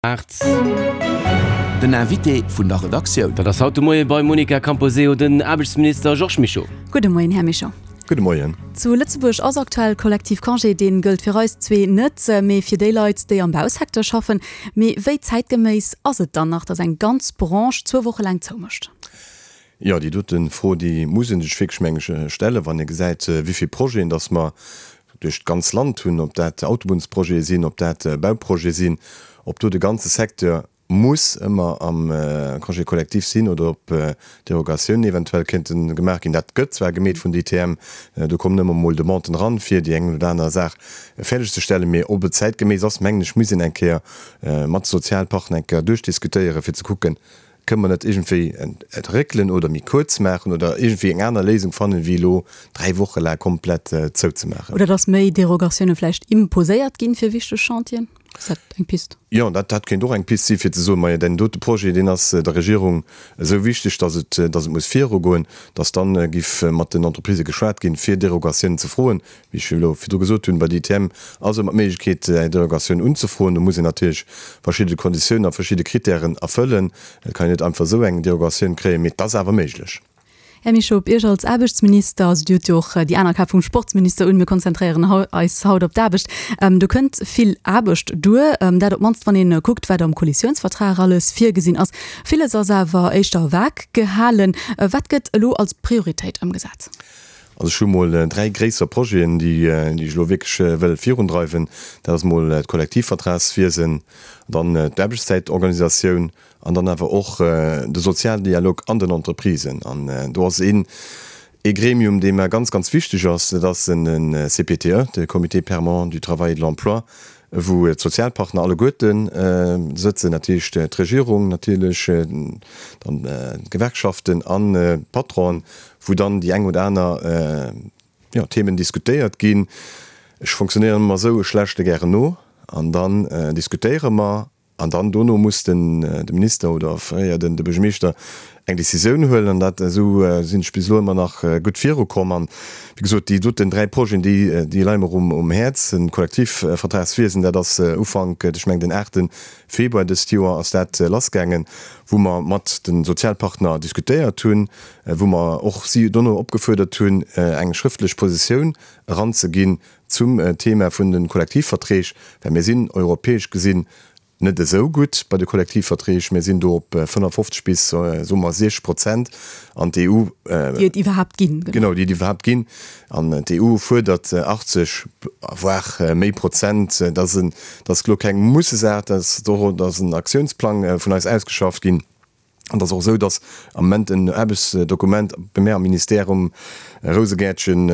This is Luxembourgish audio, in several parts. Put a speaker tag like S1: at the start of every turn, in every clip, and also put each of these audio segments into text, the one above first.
S1: 8.
S2: Den Invité vun der Redaktioun.
S1: Dat ass haut de Moie beim Monica Camposeo den Aarbechtsminister Georges Mischo.
S3: Gudde Moien, Här Mischo.
S4: Gudde Moien.
S3: Zu Lëtzebuerg ass aktuell Kollektivcongé. Dee gëllt fir eis zwee net, mee fir déi Leit, déi am Bausecteur schaffen. Mee wéi zäitgeméiss ass et dann nach, datt eng ganz Branche zwou Woche laang zoumécht?
S4: Jo, déi dote Fro, déi muss ee sech wierklech, meng ech, stellen, wann ee gesäit, wéi vill Projeten datt mer duerch d'ganz Land hunn, ob dat Autobunnsprojete sinn, ob dat Bauprojete sinn, ob do de ganze Secteur muss ëmmer am Congé collectif sinn oder ob Derogatiounen eventuell kéinte gemaach ginn. Dat gëtt zwar gemeet vun der ITM, do kommen ëmmer mol Demanden eran, fir déi eng oder aner Saach fäerdegzestellen, mee ob et zäitgeméiss ass, mengen ech, muss een eng Kéier mat de Sozialpartner eng Kéier duerchdiskutéieren, fir ze kucken, Kënne mer net iergendwéi et réckelen oder méi kuerz maachen oder iergendwéi eng aner Léisung fannen, wéi elo 3 Woche laang komplett zouzemaachen?
S3: Oder dass méi Derogatioune vläicht imposéiert ginn fir wichteg Chantieren? Ass dat eng Pist?
S4: Jo, dat, dat kéint och eng Pist si fir ze soen, Majo, deen dote Projet, deen ass der Regierung esou wichteg, dass et, dass et muss virugoen, dass dann giff mat den Entreprisë geschwat ginn, fir Derogatiounen ze froen. Wéi ech elo virdru gesot hunn, bei der ITM ass ëmmer d'Méiglechkeet, eng Derogatioun unzefroen. Do muss een natierlech verschidde Konditiounen a verschidde Krittären erfëllen. Et kann een net einfach esou eng Derogatioun kréien, mee et ass awer méiglech.
S3: Här Mischo, op Iech als Aarbechtsminister, also Dir hutt jo och déi aner Kap vum Sportsminister un, mir konzentréieren eis haut op d'Aarbecht, do kënnt vill Aarbecht duer, dat op d'mannst wann ee kuckt, wat am Koalitiounsvertrag alles virgesinn ass. Villes ass awer éischter vag gehalen. Wat gëtt elo als Prioritéit ëmgesat?
S4: Also ech hu mol 3 gréisser Projeten, déi ech elo wierklech wëll virundreiwen. Dat ass mol d'Kollektivvertragswiesen, dann d'Aarbechtszäitorganisatioun an dann awer och de Sozialdialog an den Entreprisen. An do ass een ee Gremium, dee mer ganz, ganz wichteg ass, dat ass den CPTE, de Comité permanent du travail et de l'emploi, wou d'Sozialpartner alleguerte sëtzen, dat heescht d'Regierung natierlech, dann d'Gewerkschaften an d'Patronen, wou dann déi eng oder aner, jo, Themen diskutéiert ginn. Ech fonctionnéieren ëmmer esou, ech lauschte gären no an dann diskutéiere mer an dann dono muss den de Minister oder fréier den de Buergermeeschter eng Décisioun huelen an dat esou sinn ech bis elo ëmmer nach gutt virukomm. An wéi gesot, déi doten 3 Projeten, déi déi leie mer um um Häerz. Den Kollektivvertragswiesen, dat ass Ufank, ech mengen den 8 Februar dëst Joer ass dat lassgaangen, wou mer mat de Sozialpartner diskutéiert hunn, wou mer och si dono opgefuerdert hunn, eng schrëftlech Positioun eranzeginn zum Thema vun de Kollektivverträg, well mir sinn europäesch gesinn net esou gutt bei de Kollektivverträg. Mir sinn do op 55 bis, soe mer, 60 Prozent an d'EU.
S3: Déi et iwwerhaapt ginn.
S4: Genau, déi et iwwerhaapt ginn. An d'EU fuerdert 80, voire méi Prozent. Dat ass elo keng Mussesaach, dat ass en Aktiounsplang vun eis ausgeschafft ginn. An et ass och esou, datt am Moment en Aarbechtsdokument bei mär am Ministère um Rousegäertchen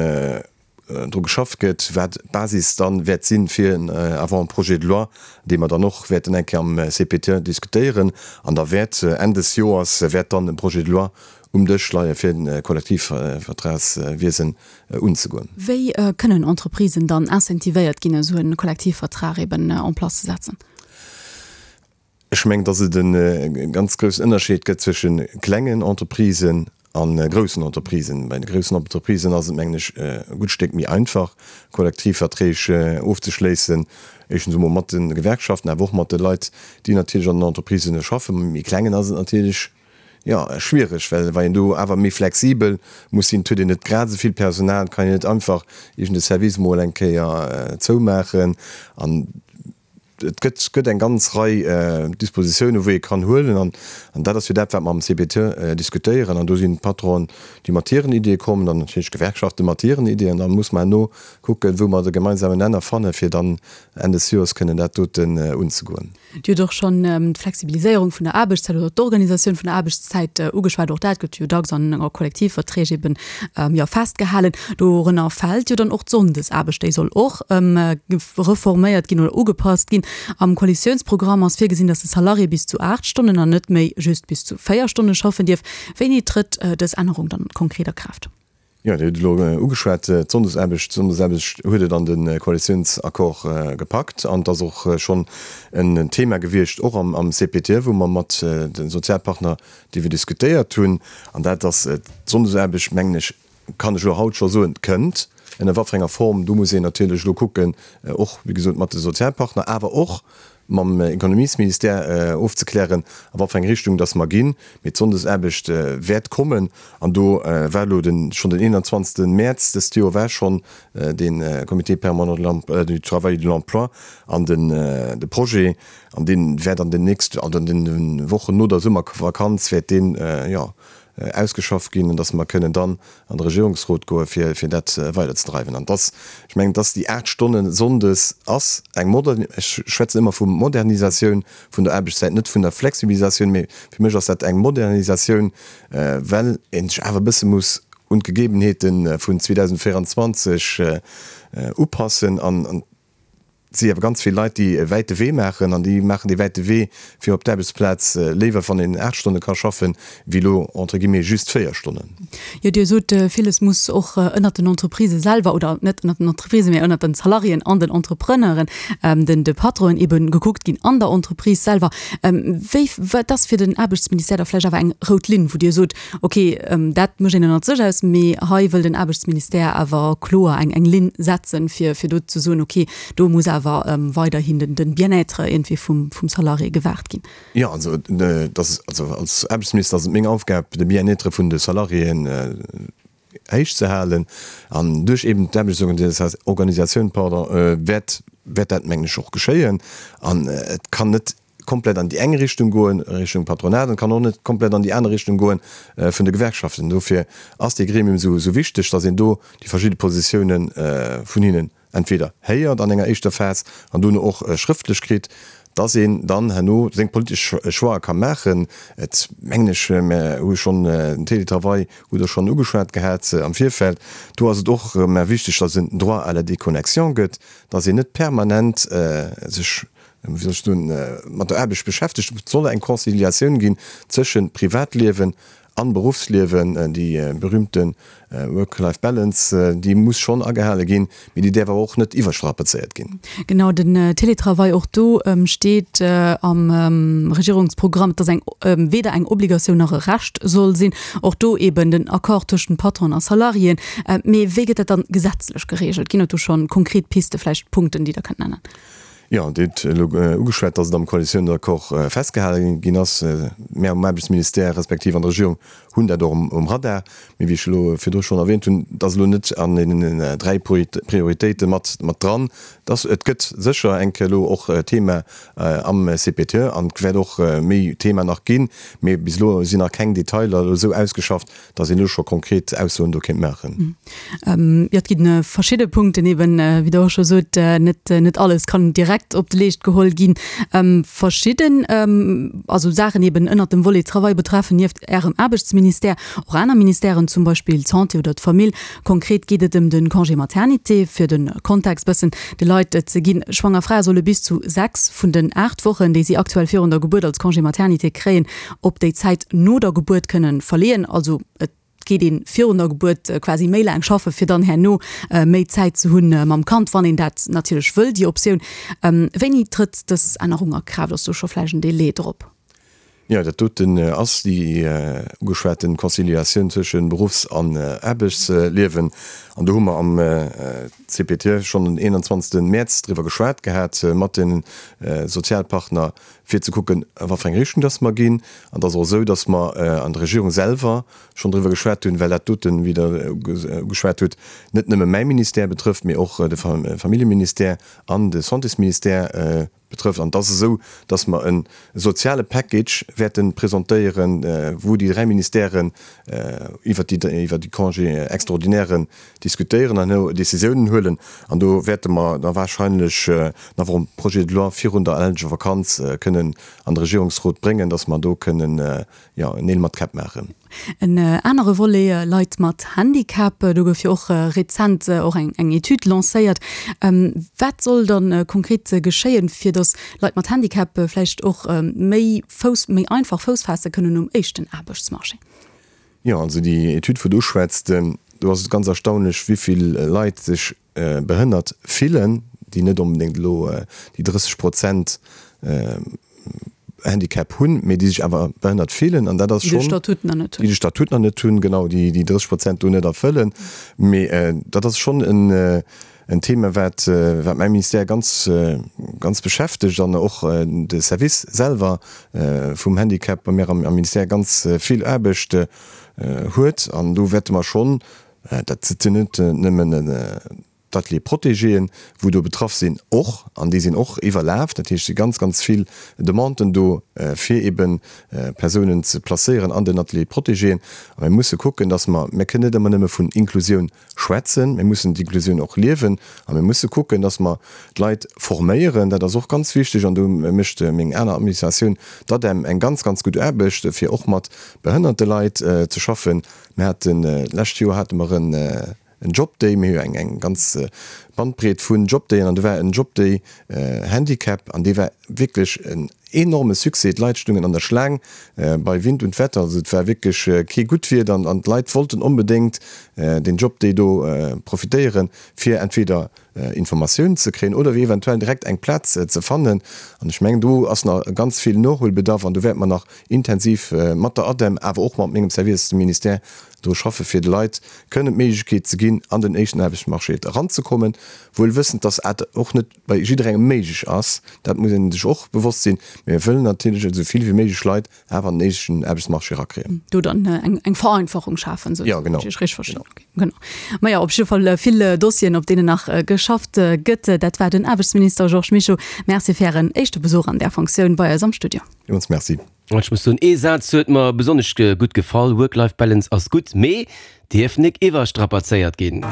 S4: dru geschafft gëtt, wat d'Basis dann wäert si fir en Avant-projet de loi, dee mer dann och wäerten eng Kéier am CPTE diskutéieren. An da wäert Enn des Joers wäert dann e Projet de loi um Dësch leie fir de Kollektivvertragswiesen unzegoen.
S3: Wéi kënnen Entreprisen dann incentivéiert ginn, esou e Kollektivvertrag eben en place ze setzen?
S4: Ech mengen, dass et e ganz groussen Ënnerscheed gëtt zwësche klengen Entreprisen a groussen Entreprisen. Bei de groussen Entreprisen ass et, mengen ech, e gutt Stéck méi einfach, Kollektivverträg ofzeschléissen, éischtens emol mat de Gewerkschaften, awer och mat de Leit, déi natierlech an den Entreprisen schaffen. Bei méi klengen ass et natierlech, jo, schwiereg, well wa een do awer méi flexibel muss sinn, et huet een net grad esou vill Personal, et kann een net einfach iergend e Service emol eng Kéier zoumaachen. An Et gëtt gëtt eng ganz Rei Dispositiounen, wou ee kann huelen. An an dat ass jo dat, wat mer am CPTE diskutéieren. An do sinn d'Patronen, déi mat hiren Iddie kommen, an natierlech d'Gewerkschafte mat hiren Iddien. An da muss mer herno kucken, wou mer de gemeinsamen Nenner fannen, fir dann Enn des Joers kënnen dat doten unzegoen.
S3: Dir hutt och schonn d'Flexibiliséierung vun der Aarbechtszäit oder d'Organisatioun vun der Aarbechtszäit ugeschwat. Och dat gëtt jo dacks an Kollektivverträg eben, jo, festgehalen. Dorënner fält jo dann och d'Sonndesaarbecht. Déi soll och reforméiert ginn oder ugepasst ginn. Am Koalitiounsprogramm ass virgesinn, datt de Salarié bis zu 8 Stonnen an net méi just bis zu 4 Stonne schaffen dierf. Wéini trëtt dës Ännerung dann konkret a Kraaft?
S4: Jo, Dir hutt et elo ugeschwat, d'Sonndesaarbecht. D'Sonndesaarbecht huet et an de Koalitiounsaccord gepackt an et ass och schonn en Thema gewiescht, och am CPTE, wou mer mat de Sozialpartner driwwer diskutéiert hunn. An dat ass, d'Sonndesaarbecht, mengen ech, kann ech elo haut scho soen, kënnt, ënner wat fir enger Form, do muss een natierlech elo kucken, och, wéi gesot, mat de Sozialpartner, awer och. mam Ekonomiesministère ofzeklären, a wat fir eng Richtung dass mer ginn. Mee d'Sonndesaarbecht wäert kommen. An do war elo den, schonn den 21. Mäerz dëst Joer war schonn dee Comité permanent du travail et de l'emploi an den, de Projet, an dee wäert an den nächsten, an den Wochen no der Summervakanz wäert deen, jo, ausgeschafft ginn, an dass mer kënnen dann an de Regierungsrot goe fir fir dat weiderzedreiwen. An dass, ech mengen, dass déi 8 Stonne sonndes ass eng Moder, ech schwätzen ëmmer vu Modernisatioun vun der Aarbechtszäit, net vun der Flexibilisatioun, mee fir mech ass dat eng Modernisatioun, well ee sech awer e bësse muss un d'Gegebenheete vun 2024 upassen an Et si awer ganz vill Leit, déi e wäite Wee maachen an déi maachen dee wäite Wee fir op d'Aarbechtsplaz léiwer, wann een 8 Stonne ka schaffen, wéi elo entre guillemets just 4 Stonnen.
S3: Jo, Dir sot, villes muss och ënnert den Entreprisë selwer, oder net ënnert den Entreprisë, mä ënnert den Salariéen an den Entrepreneuren, den de Patronen ebe gekuckt ginn an der Entreprise selwer. Wéi, wat ass fir den Aarbechtsministère da vläicht awer eng rout Linn, wou Dir sot, Ok, dat mécht een ënnert sech aus, mee hei wëll den Aarbechtsministère awer kloer eng eng Linn setzen, fir fir do ze soen, ok, do muss awer weiderhin den den Bien-être iergendwéi vum vum Salarié gewaart ginn.
S4: Jo, also dat ass, also als Aarbechtsminister ass et meng Aufgab, de Bien-être vun de Salariéen héich ze halen an duerch eben d'Aarbechtsorganisatioun, pardon, wäert wäert dat mengen ech och geschéien an et kann net komplett an déi eng Richtung goen, Richtung Patronat, an et kann och net komplett an déi aner Richtung goen vun de Gewerkschaften. Dofir ass dee Gremium esou esou wichteg, datt een do déi verschidde Positiounen vun hinnen entweder héiert an enger éischter Phas an dono och schrëftlech kritt, datt een dann herno seng politesch Choixë ka maachen. Et mengen ech, mer hu schonn den Télétravail hutt Der schonn ugeschwat gehat am Virfeld, do ass et och mer wichteg, datt et en Droit à la déconnexion gëtt, datt een net permanent sech, wéi soll ech soen, mat der Aarbecht beschäftegt. Et soll eng Conciliatioun ginn zwësche Privatliewen an Beruffsliewen. Déi berühmte Work-Life-Balance, déi muss schonn agehale ginn, mee déi däerf awer och net iwwerstrapazéiert ginn.
S3: Genau, den Télétravail, och do steet am Regierungsprogramm, dass eng weder eng Obligatioun nach e Recht soll sinn. Och do eben den Accord tëschent Patron a Salariéen. Mee wéi gëtt dat dann gesetzlech geregelt? Ginn et do schonn konkret Piste, vläicht Punkten, déi Der kënnt nennen?
S4: Jo, Dir hutt elo ugeschwat, dass et am Koalitiounsaccord festgehale ginn ass. Mär um Aarbechtsministère respektiv an der Regierung hunn dat och um Radar. Mee wéi ech elo virdru schonn erwähnt hunn, et ass elo net an deenen 3 Prioritéite mat dran. Et gëtt sécher eng Kéier elo och Thema am CPTE an et wäert och méi Thema nach ginn. Mee bis elo sinn nach keng Detailer elo esou ausgeschafft, dass een elo scho konkret Aussoen do kéint maachen.
S3: Jo, et gi verschidde Punkten eben, wéi Der och scho sot, net, net alles kann direkt op de Leescht geholl ginn. Verschidden, also Saachen eben ënnert dem Volet Travail betreffen nieft Ärem Aarbechtsministère och aner Ministèren, zum Beispill d'Santé oder d'Famill. Konkret geet et ëm de Congé maternité, fir de Kontext bëssen de Leit ze ginn. Schwanger Frae solle bis zu 6 vun den 8 Wochen, déi si aktuell virun der Gebuert als Congé maternité kréien, op déi Zäit no der Gebuert kënnen verleeën. Also et geet een virun der Gebuert quasi méi laang schaffen, fir dann herno méi Zäit ze hunn mam Kand, wann een dat natierlech wëll, déi Optioun. Wéini trëtt dës Ännerung a Kraaft? Ass do scho vläicht en Délai drop?
S4: Jo, dat doten ass déi ugeschwaten Conciliatioun zwësche Beruffs an Aarbechtsliewen. An do hu mer am CPTE schonn den 21. Mäerz driwwer geschwat gehat mat de Sozialpartner, fir ze kucken, a wat fir eng Richtung dass mer ginn. An et ass och esou, dass mer an der Regierung selwer schonn driwwer geschwat hunn, well dat doten, wéi Der ugeschwat hutt, net nëmme mäi Ministère betrëfft, mee och de Familljeministère an de Santésministère betrëfft. An et ass esou, dass mer e soziale Package wäerte presentéieren, wou déi dräi Ministèren iwwert déi Congés extraordinairen diskutéieren an herno Décisiounen huelen. An do wäerte mer da wahrscheinlech nach e Projet de loi virun der ellentlecher Vakanz kënnen an de Regierungsrot bréngen, dass mer do kënnen, jo, Neel mat Käpp maachen.
S3: En anere Volet, Leit mat Handicap, do gouf jo och rezent och eng Etüd lancéiert. Wat soll da konkret geschéien, fir datt Leit mat Handicap vläicht och méi Fouss, méi einfach Fouss faasse kënnen um éischten Aarbechtsmarché?
S4: Jo, also déi Etüd, wou Du uschwätzt, do ass et ganz erstaunlech, wéi vill Leit sech behënnert fillen, déi net onbedéngt elo déi 30 Prozent Handicap hunn, mee déi sech awer behënnert fillen. An dat ass schonn. Déi de
S3: Statut nach net
S4: hunn. Déi de Statut nach net hunn, genau, déi déi 30 Prozent do net erfëllen. Mee dat ass schonn en. en Thema, wat, wat mäi Ministère ganz, ganz beschäftegt an och de Service selwer vum Handicap bei mir am Ministère ganz vill Aarbecht huet. An do wäerte mer schonn, dat sinn net nëmmen d'Ateliers protégéen, wou do betraff sinn, och, an déi sinn och iwwerlaf, dat heescht, et si ganz, ganz vill Demanden do, fir eebe Persounen ze placéieren an den Ateliers protégéen. A mir musse kucken, dass mer, mir kënnen net ëmmer nëmme vun Inklusioun schwätzen, mir mussen d'Inklusioun och liewen a mir musse kucken, dass mer d'Leit forméieren, dat ass och ganz wichteg an do mécht meng aner Administratioun, d'ADEM, eng ganz, ganz gutt Aarbecht, fir och mat behënnerte Leit ze schaffen. Mir haten, d'lescht Joer hate mer en Jobday, mir hu jo eng ganz Bandbreet vun Jobdayen an do war en Jobday Handicap an dee war wierklech en enorme Succès. D'Leit stungen an der Schlaang bei Wind und Wetter, also et war wierklech kee gutt Wieder an d'Leit wollten onbedéngt deen Jobday do profitéieren, fir entweder Informatiounen ze kréien oder eventuell direkt eng Plaz ze fannen. An ech mengen, do ass nach ganz vill Nohuelbedarf an do wäerte mer nach intensiv mat der ADEM, awer och mat mengem Service, dem Ministère, dru schaffe fir de Leit kënnen d'Méiglechkeet ze ginn, an den éischten Aarbechtsmarché eranzekommen, wuel wëssend, dass dat och net bei jidderengem méiglech ass. Dat muss ee sech och bewosst sinn. Mee mir wëllen natierlech esou vill wéi méiglech Leit awer an den éischten Aarbechtsmarché erakréien.
S3: Do dann eng Vereinfachung schafen, esou,
S4: wann
S3: ech Iech richteg verstinn. Okay, genau. Maja, op jidde Fall vill Dossieren, op deenen nach geschafft gëtt. Dat war den Aarbechtsminister Georges Mischo. Merci fir Ären éischte Besuch an där Fonctioun bei eis am Studio.
S4: Villmools Merci.
S1: Ech muss soen, ee Saz huet mer besonnesch gutt gefall, Work-Life-Balance ass gutt, mee dierf nik iwwerstrapazéiert ginn.